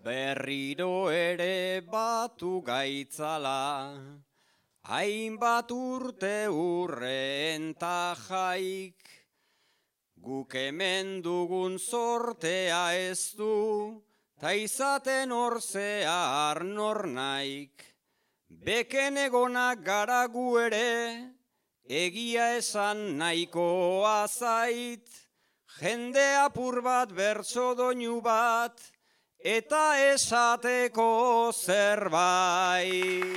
Berriro ere batu gaitzala, hainbat urte urren tajaik, guk hemen dugun sortea ez du, ta izaten orzea nor naik. Beken egonak gara gu ere, egia esan nahikoa zait, jende apur bat bertso doinu bat, eta esateko zerbait.